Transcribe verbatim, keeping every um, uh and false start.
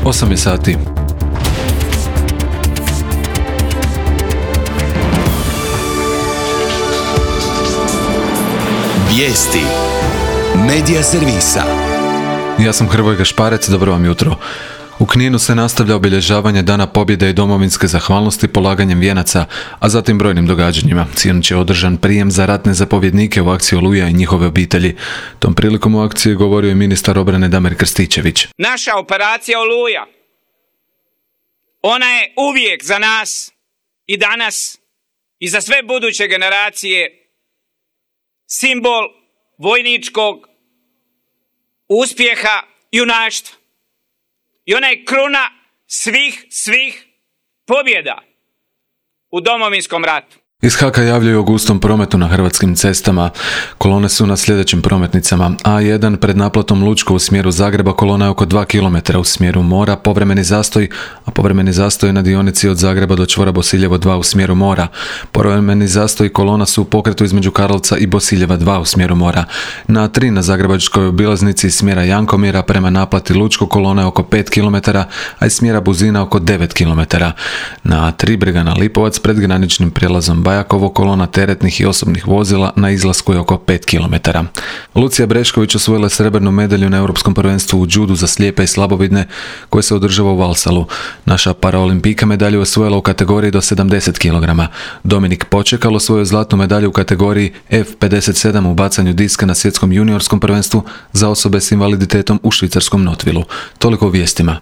osam je sati. Vijesti Medija servisa. Ja sam Hrvoje Gašparec, dobro vam jutro. U Kninu se nastavlja obilježavanje Dana pobjede i domovinske zahvalnosti polaganjem vijenaca, a zatim brojnim događanjima. Sinoć je održan prijem za ratne zapovjednike u akciji Oluja i njihove obitelji. Tom prilikom u akciji govorio je ministar obrane Damir Krstičević. Naša operacija Oluja, ona je uvijek za nas i danas i za sve buduće generacije simbol vojničkog uspjeha i junaštva. I ona je kruna svih, svih pobjeda u Domovinskom ratu. Iz Haka javljaju o gustom prometu na hrvatskim cestama. Kolone su na sljedećim prometnicama. A jedan pred naplatom Lučko u smjeru Zagreba, kolona je oko dva kilometra u smjeru mora, povremeni zastoj, a povremeni zastoj na dionici od Zagreba do čvora Bosiljevo dva u smjeru mora. Povremeni zastoj i kolona su u pokretu između Karlovca i Bosiljeva dva u smjeru mora. Na tri na zagrebačkoj obilaznici iz smjera Jankomira prema naplati Lučko kolona je oko pet kilometara, a iz smjera Buzina oko devet kilometara. Na tri Bregana Lipovac pred graničnim prijelazom Bajakovo kolona teretnih i osobnih vozila na izlasku je oko pet kilometara. Lucija Brešković osvojila srebrnu medalju na Europskom prvenstvu u džudu za slijepe i slabovidne koje se održava u Valsalu. Naša paraolimpijka medalju osvojila u kategoriji do sedamdeset kilograma. Dominik Počekal osvojio zlatnu medalju u kategoriji F pedeset sedam u bacanju diska na svjetskom juniorskom prvenstvu za osobe s invaliditetom u švicarskom Notvilu. Toliko o vijestima.